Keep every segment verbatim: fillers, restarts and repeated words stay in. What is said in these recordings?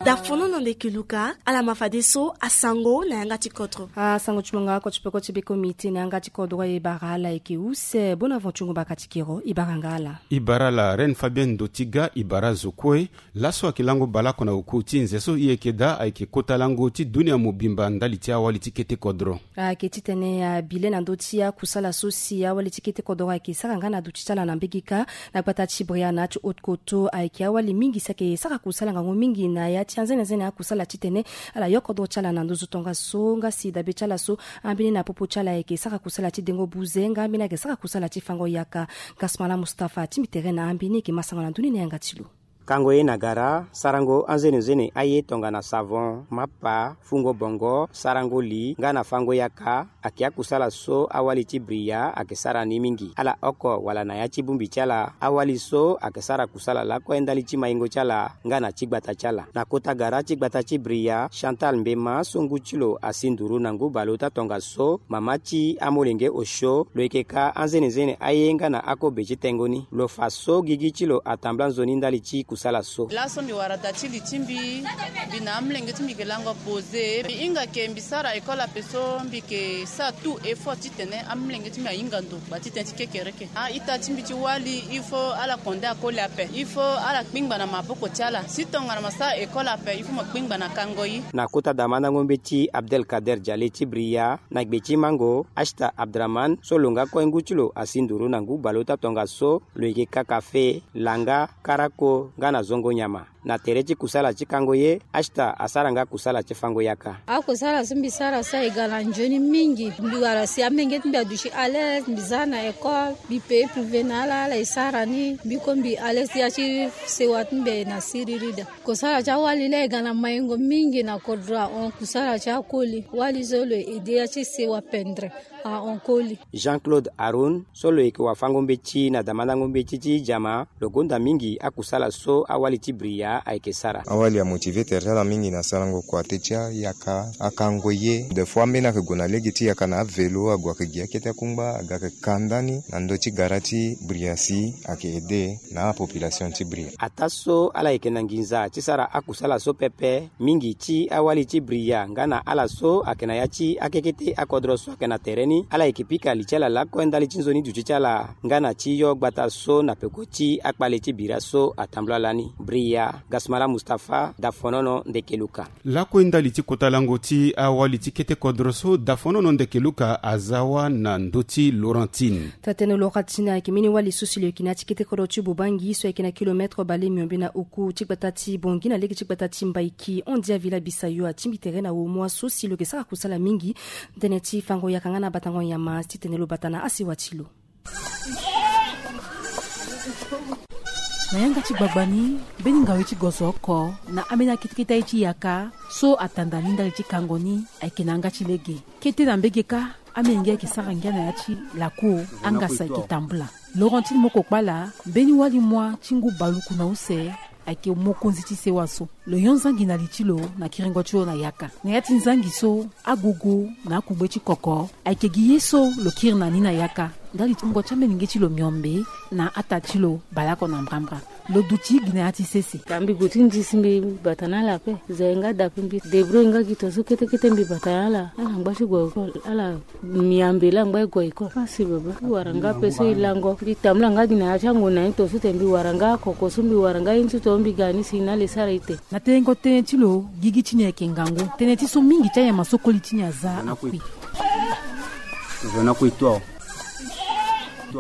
Dafonono ndeke Luka, ala ma fadeso asango na yanga ti kodro. Asango ti mo nga oko ti peko ti beko miti na yanga ti kodro, e bara ala eke use. Bona vo ti ngu baka ti kero, e bara nga ala. E bara ala Reine Fabienne Ndotiga, e bara zo kue. Laso ayeke lango baleoko na oku ti nze so e yeke daa, ayeke kota lango ti dunia mobimba ndali ti awali ti kete kodro. Ayeke titene abile na ndö ti akusala so si awali ti kete kodro ayeke sara nga na duti ti ala na mbege kâ. Na gbata ti Bria na ya ti Haute-Kotto, ayeke awali mingi si ayeke sara kusala ngangu mingi na ya ti anzenenzene akusala titene ala yo kodro ti ala na nduzu tongaso, nga si dabe ti ala so ambeni na popo ti ala ayeke sara kusala ti dengo buze, nga ambeni ayeke sara kusala ti fango yaka. Gasmala Mustapha atingbi tere na ambeni, e yeke ma sango na ndö ni na yanga ti lo. Kango ye na gara, sarango anzenenzene aye tongana savon, mapa, fungo bongo, sarango li nga na fango yaka, ayeke akusala so awali ti Bria ayeke sara ni mingi. Ala oko wala na ya ti bongbi ti ala, awali so ayeke sara kusala lakue ndali ti maingo ti ala nga na ti gbata ti ala. Na kota gara ti gbata ti Bria, Chantal Mbema so ngu ti lo asi nduru na ngu baleota tongaso, mama ti amolenge osio, lo yeke ka anzenenzene aye nga na akobe ti tengo ni. Lo fa so gigi ti lo atambula nzoni ndali ti kusala so. Laso mbi wara da ti li ti mbi, mbi na amolenge ti mbi yeke lango pose. Mbi hinga ke mbi sara école ape so mbi yeke sara tout effort titene amolenge ti mbi ahinga ndo, ba titene ti kekereke. A-ita ti mbi ti wali, il faut ala konde akoli ape. Il faut ala kpingba na maboko ti ala. Si tongana mo sara école ape, il faut mo kpingba na kango ye. Na kota damandango mbeti Abdelkader Diale ti Bria, na gbe ti mango, Ashta Abdraman so lo nga kue ngu ti lo asi nduru na ngu baleota tongaso, lo yeke ka kafe, langa, karako nga na zongo nyama. Na tere ti kusala ti kango ye, Ashta asara nga kusala ti fango yaka. Akusala so mbi sara so e ga na nzoni mingi. Mbi wara si amenge ti mbi aduti à l'aise, mbi za na école, mbi paye privé na ala, ala e sara ni. Mbi kue mbi à l'aise ti ya ti sewa ti mbi aye na siriri daa. Kusala ti awali laa e ga na maingo mingi na kodro ahon. Kusala ti akoli, wali so lo e aide ya ti sewa pendre ahon koli. Jean-Claude Haroun so lo yeke wafango mbeti na damandango mbeti ti jama, lo gonda mingi akusala so awali ti Bria ayeke sara. Awali amotive tere ti ala mingi na sarango kua te ti ayaka, akango ye. Des fois ambeni ayeke gue na lege ti yaka na avelo, ague ayeke gi akete akungba, aga ayeke ka ndani na ndö ti gara ti Bria si ayeke aide na apopulation ti Bria. Ataa so ala yeke na nginza ti sara akusala so pepe, mingi ti awali ti Bria nga na ala so ayeke na ya ti akekete akodro so ayeke na tere ni, ala yeke pika li ti ala lakue ndali ti nzoni duti ti ala nga na ti yo gbata so na peko ti akpale ti bira so atambula lani. Bria, Gasmala Mustapha, Dafonono ndeke Luka. Lakue ndali ti kota lango ti awali ti kete kodro so, Dafonono ndeke Luka aza wa na ndö ti Laurentine. Taa-tënë Laurentine ayeke mbeni wali so si lo yeke na ya ti kete kodro ti Bobangi so ayeke na kilomètre bale miombe na oku ti gbata ti Bongi na lege ti gbata ti Mbaiki. Hon dia Villa Bisayo atingbi tere na awo mois so si lo yeke sara kusala mingi tënë ti fango yaka nga na batango nyama titene lo bata na asewa ti lo. Na yanga ti gbagba ni, mbeni ngawe ti gozo oko na ambeni akete kete aye ti yaka so atanda ni ndali ti kango ni ayeke na yanga ti lege. Kete na mbege kâ, amolenge ayeke sara ngia na ya ti laku, angasa ayeke tambula. Laurentine Mokokpala, mbeni wali moi ti ngu baluku na use, ayeke mokonzi ti sewa so. Lo yo nzangi na li ti lo na kiringo ti lo na yaka. Na ya ti nzangi so, agogo na akungbe ti koko ayeke gi ye so lo kiri na ni na yaka ndali ti wungo ti amolenge ti lo miombe na ata ti lo baleoko na mbrambra. Lo duti gi na ya ti sese. Ka mbi gue ti ndi si mbi bata na ala ape. Za e nga da ape, mbi débrouiller nga gi tongaso kete kete mbi bata na ala. Ala ngba ti gue école, ala miambe la ngba e gue école. Merci baba. Mbi wara nga ape so e lango. Mbi tambula nga gi na ya ti angu na ye tongaso tene mbi wara nga akoko so mbi wara nga ye ti tongaso mbi ga ni si na ala e sara ete. Na tenengo tënë ti lo, gigi ti ni ayeke ngangu. Tënë ti so mingi ti anyama so koli ti ni aza akui.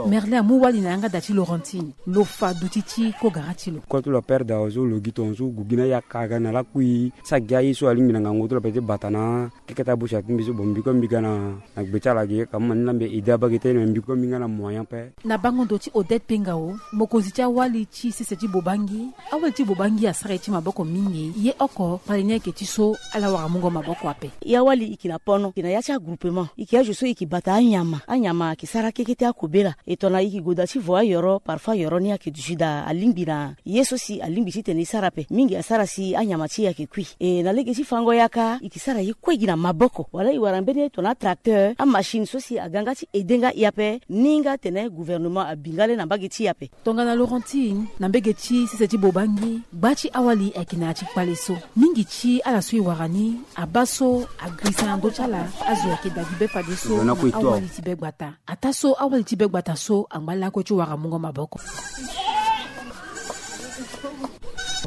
Merlin amu wali na yanga da ti Laurentine. Lo fa duti ti kogara ti lo. Kue ti lo père Dawa so lo gi tongaso gue gi na yaka aga na lakui. Sara gi aye so alingbi na ngangu ti lo ape ti bata na keke ti abusia ti mbi so. Bon, mbi kue mbi ga na gbe ti ala gi ka mu ma ni la mbi aide abage tënë, me mbi kue mbi nga na moyen ape. Na bango ndo ti Odette Pengao, mokonzi ti awali ti sese ti Bobangi. Awali ti Bobangi asara ye ti maboko mingi. Ye oko, kpale ni ayeke ti so ala wara mungo maboko ape. Ya wali e yeke na pono, e yeke na ya ti agroupement, e yeke azo so e yeke bata anyama. Anyama ayeke sara keke ti akobela. E tongana e yeke goda ti vo ayoro, parfois yoro ni ayeke duti daa, alingbi na ye so si alingbi titene e sara ape. Mingi asara si anyama ti e ayeke kui. E na lege ti fango yaka e yeke sara ye kue gi na maboko wala e wara mbeni tongana tracteur, amachine so si aga nga ti ede nga e ape. Ni nga atene gouvernement abi nga le na mbage ti e ape. Tongana Laurentine na mbage ti sese ti Bobangi, gba ti awali ayeke na ya ti kpale so. Mingi ti ala so e wara ni abaa so agirisa na ndö ti ala azo ayeke dagi be fadeso na awali ti be gbata. Ataa so awali ti be gbata so angba lakue ti wara mungo maboko.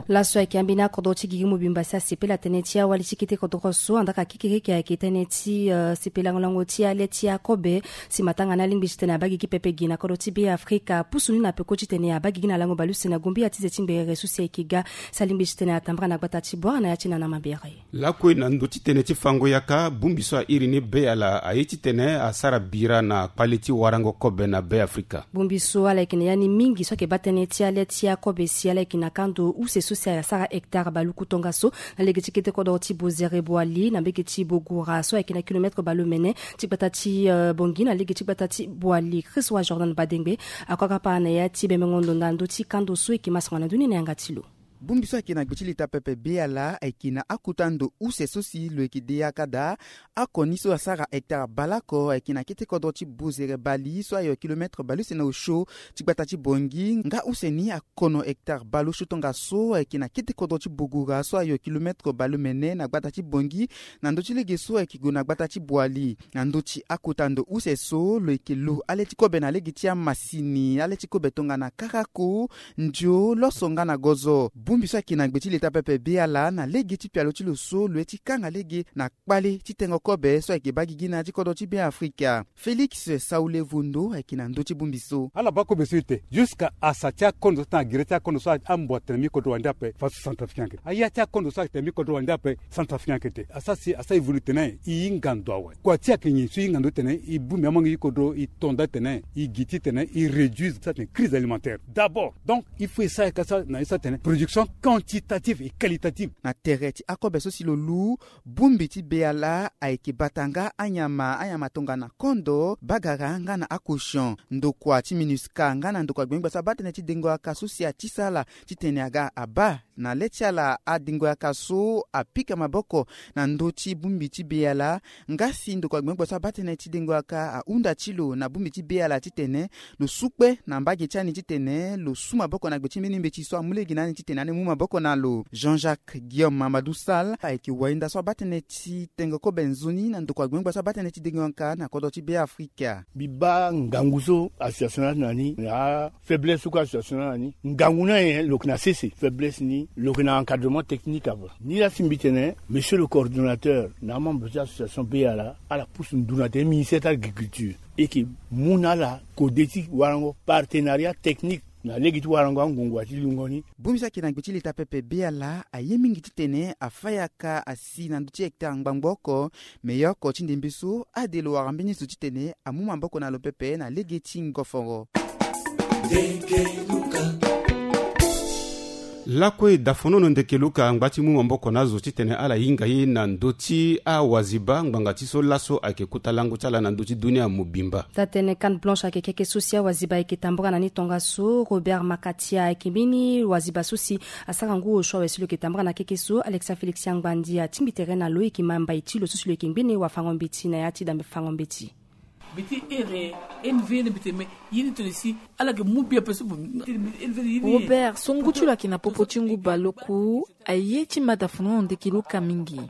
Laso ayeke ambeni akodro ti gigi mobimba si asepela tënë ti awali ti kete kodro so, andaa ka kekereke ayeke tënë ti, eh, sepela lango ti ale ti akobe. Si matanga ni alingbi titene abaa gigi pepe gi na kodro ti Be Afrika, pusu ni na peko titene abaa gigi na lango baleuse na gombi ya ti ze ti ngberere so si ayeke ga, si alingbi titene atambara na gbata ti Bouar na ya ti Nana Mabere. Lakue na ndö ti tënë ti fango yaka, bongbi so a iri ni Be Yala aye titene asara bira na kpale ti warango kobe na Be Afrika. Bongbi so ala yeke na ya ni mingi so ayeke baa tënë ti ale ti akobe si ala yeke na kando use so si asara hectare baluku tongaso na lege ti kete kodro ti Bozere Boali na mbage ti Bogura so ayeke na kilomètre baleomene ti gbata ti, eh, Bongi na lege ti gbata ti Boali. Christ wa Jordan Badengbe akokapa na ya ti bemengo ndo na ndö ti kando so eke masango na ndö ni na yanga ti lo. Bongbi so ayeke na gbe ti leta pepe Be Yala ayeke na akota ndo use so si lo yeke de yaka daa. Akoni so asara hectare baleoko ayeke na kete kodro ti Bozere Bali so ayo kilomètre baleuse na osio ti gbata ti Bongi. Nga use ni akono hectare baleosio tongaso ayeke na kete kodro ti Bogura so ayo kilomètre baleomene na gbata ti Bongi. Na ndö ti lege so ayeke gue na gbata ti Boali. Na ndö ti akota ndo use so lo yeke lo ale ti kobe na lege ti amasini, ale ti kobe tongana karako, ndio, loso nga na gozo. Bongbi so ayeke na gbe ti leta pepe Be Yala na lege ti pialo ti lo so lo ye ti kanga lege na kpale ti tengo kobe so ayeke baa gigi na ya ti kodro ti Be Afrika. Félix Saoule Vondo ayeke na ndö ti bongbi so. Ala baa kobe so ete jusqu'à asa ti akondo so atene agere ti akondo so ambo atene mi kodro wande ape faso centrafricain ayeke te. Aya ti akondo so atene mi kodro wande ape centrafricain ayeke te. Asara si asara évolue tene e hinga ndo awe. Kua ti ayeke nyen so e hinga ndo titene e bongbi amangi ti kodro, e to nda titene e gi titene e réduise so atene crise alimentaire d'abord. Donc il faut e sara ka so na e so atene production quantitative et qualitative. Na tere ti akobe so si lo lu, bongbi ti Be Yala ayeke bata nga anyama, anyama tongana kondo, bagara nga na akosion. Ndokua ti MINUSCA nga na ndokua gbengba so abaa tënë ti dengo yaka so si atisa ala titene aga abaa na le ti ala adengo yaka so apika maboko na ndö ti bongbi ti Be Yala. Nga si ndokua gbengba so abaa tënë ti dengo yaka ahunda ti lo na bongbi ti Be Yala titene lo su kpe na mbage ti ani titene lo su maboko na gbe ti mbeni mbeti so amu lege na ani titene ani mu maboko na lo. Jean-Jacques Guillaume Mamadou Sall ayeke wainda so abaa tënë ti tengo kobe nzoni na ndokua gbengba so abaa tënë ti dengo yaka na kodro ti Be Afrika. Mbi baa ngangu so association ni atene na ni, na afaiblesse so kue association ni atene na ni. Ngangu ni aye lo yeke na sese, faiblesse ni lo yeke na encadrement technique ape. Ni laa si mbi tene monsieur le coordonnateur na amembre ti association Be Yala ala pusu ndu na tene ministère ti agriculture e yeke mu na ala kode ti warango partenariat technique na lege ti warango angongua ti lungo ni. Bongbi so ayeke na gbe ti leta pepe Be Yala aye mingi titene afa yaka asi na ndö ti hectare ngbangbo oko. Me ye oko ti ndembe so ade lo wara mbeni zo titene amu maboko na lo pepe na lege ti ngoforo. Lakue dafonono ndeke luka angba ti mu maboko na azo titene ala hinga ye na ndö ti awaziba ngbanga ti so laso ayeke kota lango ti ala na ndö ti dunia mobimba. Taa-tënë Canne Blanche ayeke keke so si awaziba ayeke tambula na ni tongaso. Robert Makatia ayeke mbeni waziba so si asara ngu osio awe si lo yeke tambula na keke so. Alexia Félix Angbandi atingbi tere na lo, e yeke ma mbai ti lo so si lo yeke ngbene wafango-mbeti na ya ti dambe fango-mbeti. Mbi ti ere, e ni ve ni mbi ti me, ye ni tene si ala yeke mu bi ape so. Robert, so ngu ti lo ayeke na popo ti ngu baleoku, aye ti ma dafonono ndeke luka mingi.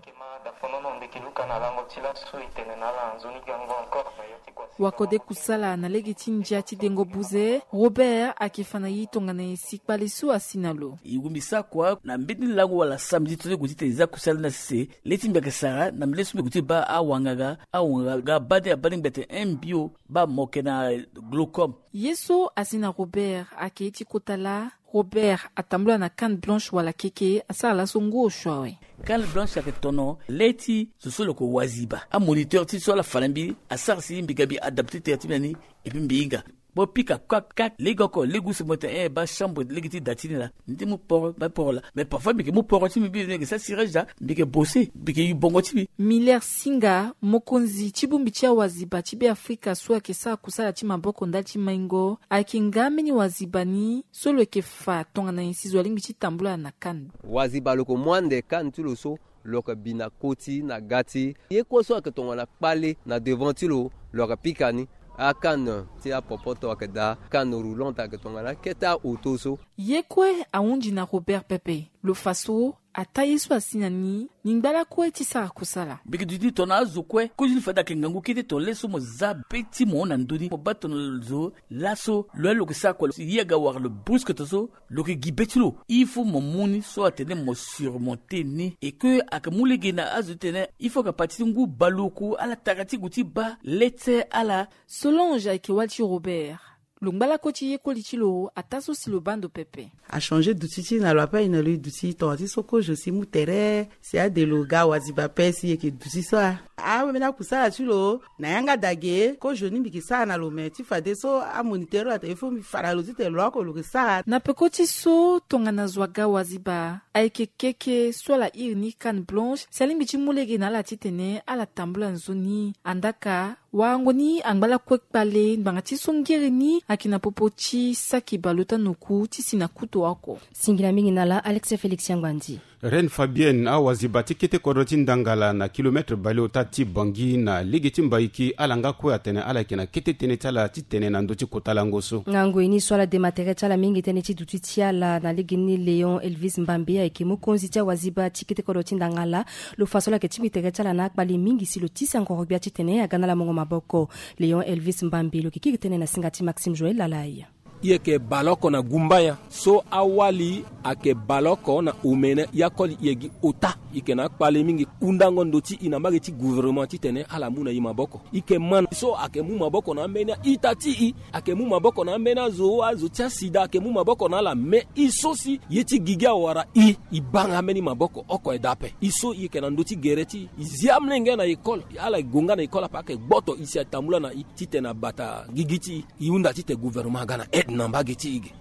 Wakode kusala na lege ti ndia ti dengo buze, Robert ayeke fa na e tongana nyen si kpale so asi na lo? E wumbi sara kua na mbeni lango wala samedi so e gue titene e za kusala ni na sese. Le ti mbi ayeke sara na mbeni so mbi gue ti baa awanganga, awanganga baa ni abaa ni mbi atene mbio baa mo yeke na glaucome. Ye so asi na Robert ayeke ye ti kota laa. Robert atambula na Canne Blanche wala keke, asara laso ngu osio awe. Canne Blanche ayeke tono le ti zo so lo yeke waziba. Amoniteur ti so ala fa na mbi asara si mbi ga mbi adapte tere ti mbi na ni. Et puis mbi hinga. Bo pika kak kak lege oko lege use mo tene eh baa chambre lege ti da ti ni laa. Ni ti mu poro ba poro laa. Mais parfois mbi yeke mu poro ti mbi mbi yeke sara cirage laa. Mbi yeke bose mbi yeke yu bongo ti mbi. Miller Singa, mokonzi ti bongbi ti awaziba ti Be Afrika so ayeke sara kusala ti maboko ndali ti maingo, ayeke nga ambeni waziba ni so lo yeke fa tongana nyen si zo alingbi ti tambula na CAN? Waziba lo yeke mu ande CAN ti lo so, lo yeke bi na koti na ga ti ye kue so ayeke tongana kpale na devant ti lo, lo yeke pika ni. ACAN ti apopoto ayeke daa, CAN roulante ayeke tongana akete aoto so. Ye kue ahunzi na Robert pepe. Lo fa so ataa ye so asi na ni, ni ngba lakue ti sara kusala. Mbi yeke duti tongana azo kue kozo ni fade ayeke ngangu kete tongana le so mo za be ti mo hon na ndö ni mo baa tongana zo laso lo ye lo yeke sara kua. Ye aga wara lo brusque to so lo yeke gi be ti lo. Il faut mo mu ni so atene mo surmonter ni. E ke ayeke mu lege na azo ti tene il faut ayeke parti ti ngu baleoku ala tara ti gue ti baa lete ala. Solange ayeke wali ti Robert. Lo ngba lakue ti ye koli ti lo ataa so si lo baa ndo pepe. Achanger duti ti na lo ape aye na lo e duti tongana ti so kozo si mu tere si ade lo ga waziba ape si e yeke duti so a. Ambeni akusala ti lo na yanga dage kozo ni mbi yeke sara na lo me ti fadeso amoniteur lo atene il faut mbi fa na lo titene lo oko lo yeke sara. Na peko ti so tongana zo aga waziba ayeke keke so ala iri ni CAN blanche si alingbi ti mu lege na ala titene ala tambula nzoni. Andaka warango ni angba lakue kpale ngbanga ti so ngere ni ayeke na popo ti saki baleota na oku ti si na kuto oko. Singila mingi na ala Alex Félix Yangbandi. Reine Fabienne, awaziba ti kete kodro ti Ndangala na kilomètre baleota ti Bangui na lege ti Mbaiki, ala nga kue atene ala yeke na kete tënë ti ala ti tene na ndö ti kota lango so. Ngangu ye ni so ala dema tere ti ala mingi tënë ti duti ti ala na lege ni Léon Elvis Mbambe ayeke mokonzi ti awaziba ti kete kodro ti Ndangala. Lo fa so ala yeke tingbi tere ti ala na akpale mingi si lo tisa ngoro gbia titene aga na ala mongo maboko. Léon Elvis Mbambe lo yeke kiri tënë na singa ti Maxime Joël Lalai. I yeke baleoko na gumbaya so awali ayeke baleoko na omene ya koli i yeke gi ota. I yeke na akpale mingi hundango ndo ti i na mbage ti gouvernement titene ala mu na i maboko. I yeke ma so ayeke mu maboko na ambeni a-ita ti i. Ayeke mu maboko na ambeni azo azo ti asida ayeke mu maboko na ala me i so si ye ti gigi awara i. I baa nga ambeni maboko oko aye daa ape i so i yeke na ndö ti gere ti i i zi amolenge na école. Ala gue nga na école ape ayeke gboto i si atambula na i titene abata gigi ti i. I hunda titene gouvernement aga na aide na mbage ti i ge.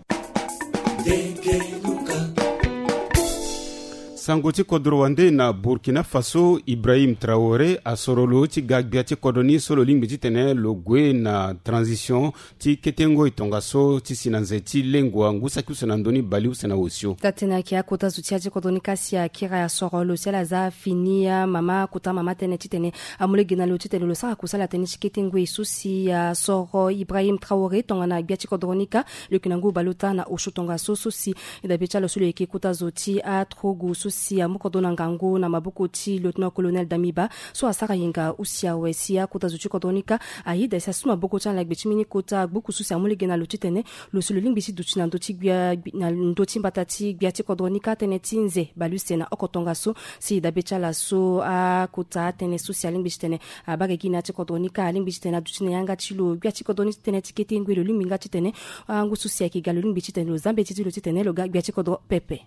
Sango ti kodro wande na Burkina Faso, Ibrahim Traoré asoro lo ti ga gbia ti kodro ni so lo lingbi titene lo gue na transition ti kete ngoi tongaso ti si na nze ti lengua ngu saki use na ndö ni baleuse na osio. Taa-tënë ayeke akota zo ti ya ti kodro ni ka si akiri asoro lo si ala za fini amama akota mama tënë titene amu lege na lo titene lo sara kusala tënë ti kete ngoi so si asoro Ibrahim Traoré tongana gbia ti kodro ni ka. Lo yeke na ngu baleota na osio tongaso so si e dabe ti ala so lo yeke kota zo ti atrogu so si amu kodro na ngangu na maboko ti lieutenant colonel Damiba so asara yenga use awe si akota zo ti kodro ni ka. Ayeda si asu maboko ti ala na gbe ti mbeni kota gbuku so si amu lege na lo titene lo si lo lingbi ti duti na ndö ti gbia na ndö ti mbata ti gbia ti kodro ni ka tënë ti nze baleuse na oko tongaso. Si e dabe ti ala so akota atënë so si alingbi titene abaa gigi na ya ti kodro ni ka alingbi titene aduti na yanga ti lo gbia ti kodro ni titene ti kete ngoi lo lingbi nga titene angu so si ayeke ga lo lingbi titene lo za mbeti ti lo titene lo ga gbia ti kodro pepe.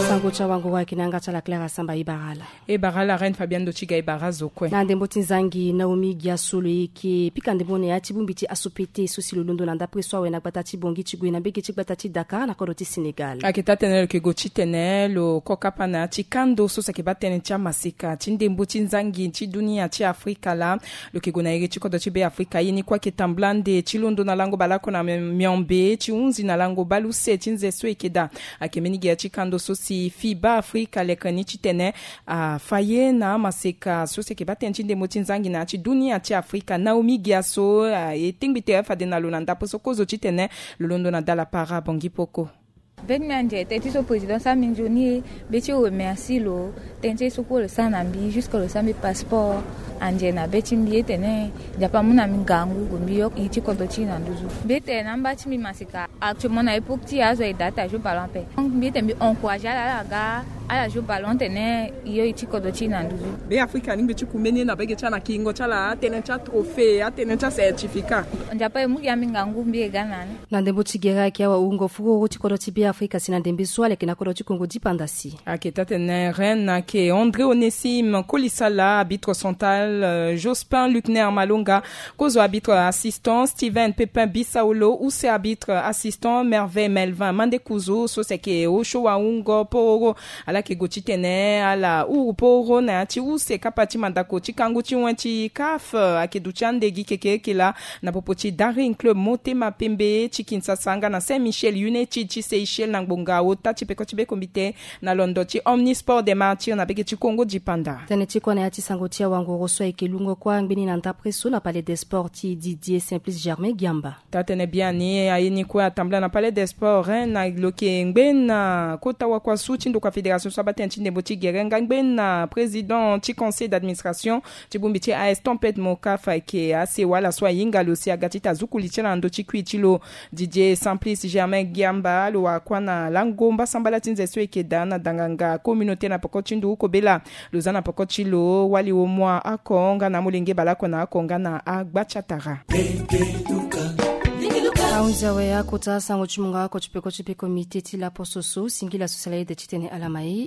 Sango ti awangoro ayeke na yanga ti ala Clara Samba e bara ala. E bara ala Reine Fabienne ndo ti ga e bara azo kue. Na ndembo ti nzangi Naomi Giaso lo yeke pika ndembo na ya ti bongbi ti asopete so si lo londo na ndapre so awe na gbata ti Bangui ti gue na mbege ti gbata ti Dakar na kodro ti Sénégal. Ayeke taa-tënë lo yeke gue titene lo ko kapa na ya ti kando so si ayeke baa tënë ti amaseka ti ndembo ti nzangi ti dunia ti Afrika laa. Lo yeke gue na iri ti kodro ti Be Afrika ye ni kue ayeke tambula ande ti londo na lango baleoko na miombe ti hunzi na lango baleuse ti nze so e yeke daa. Ayeke mbeni gere ti kando so si Fiba Afrika leke ni titene afa ye na amaseka so si ayeke baa tënë ti ndembo ti nzangi na ya ti dunia ti Afrika Naomi Giaso aye tingbi tere fade na lo na ndapre so kozo titene lo londo na dala para Bangui poko. Be ti mbi anze tënë ti so président sara mbi nzoni e. Be ti remercie lo tënë ti ye so kue lo sara na mbi jusque lo sara mbi passeport. Anze na be ti mbi etene Nzapa amu na mbi ngangu gue mbi yo iri ti kodro ti e na nduzu. Mbi etene na amba ti mbi maseka actuellement na époque ti e azo aye daa ti ajoue ballon ape. Donc mbi etene mbi encourager ala ala ga ala joue ballon tene e yo iri ti kodro ti e na nduzu. Be Afrika alingbi ti ku mbeni ye na bege ti ala na kiringo ti ala atënë ti atrophée atënë ti acertificat. Nzapa e mu gi na mbi ngangu mbi e ga na ni. Na ndembo ti gere ayeke awa wungo fururu ti kodro ti Be Afrika si na ndembe so aleke na kodro ti Kongo dipanda si. Ayeke taa-tënë Reine ayeke André Onésime Kolisala arbitre central. Jospin Luckner Malonga, kozo arbitre assistant, Steven Pepin Bisaolo, use arbitre assistant, Merveille Melvin Mandekuzu, so si ayeke osio wahungo pororo. Ala yeke gue titene ala huru pororo na ya ti use kapa ti mandako ti kangu ti wen ti CAF ayeke duti ande gi kekereke laa na popo ti Daring Club Motema Pembe ti Kinshasa nga na Saint Michel United ti Seychelles na ngbonga ota ti peko ti bekombite na londo ti Omnisport des Martyrs na bege ti Kongo dipanda. Tënë ti kua na ya ti sango ti awangoro so ayeke lungo kuâ ngbeni na ndapre so na Palais des Sports ti Didier Simplice Germain Giamba. Taa-tënë biani aye ni kue atambula na Palais des Sports, eh, na lo yeke ngbena kota wakua su ti ndokua fédération so abaa tënë ti ndembo ti gere nga ngbena président ti conseil d'administration ti bongbi ti A S Tempête Mokafa ayeke asewa ala so ahinga lo si aga titene azuku li ti ala na ndö ti kui ti lo. Didier Simplice Germain Giamba lo wara kuâ na lango mbasambala ti nze so e yeke daa na danganga communauté na peko ti ndu kobela. Lo za na peko ti lo wali womua oko nga na amolenge baleoko na oko nga na agba ti atara. Ahunzi awe akota sango ti mungo oko ti peko ti bekombite ti laposo so singila so sala ede titene ala ma e.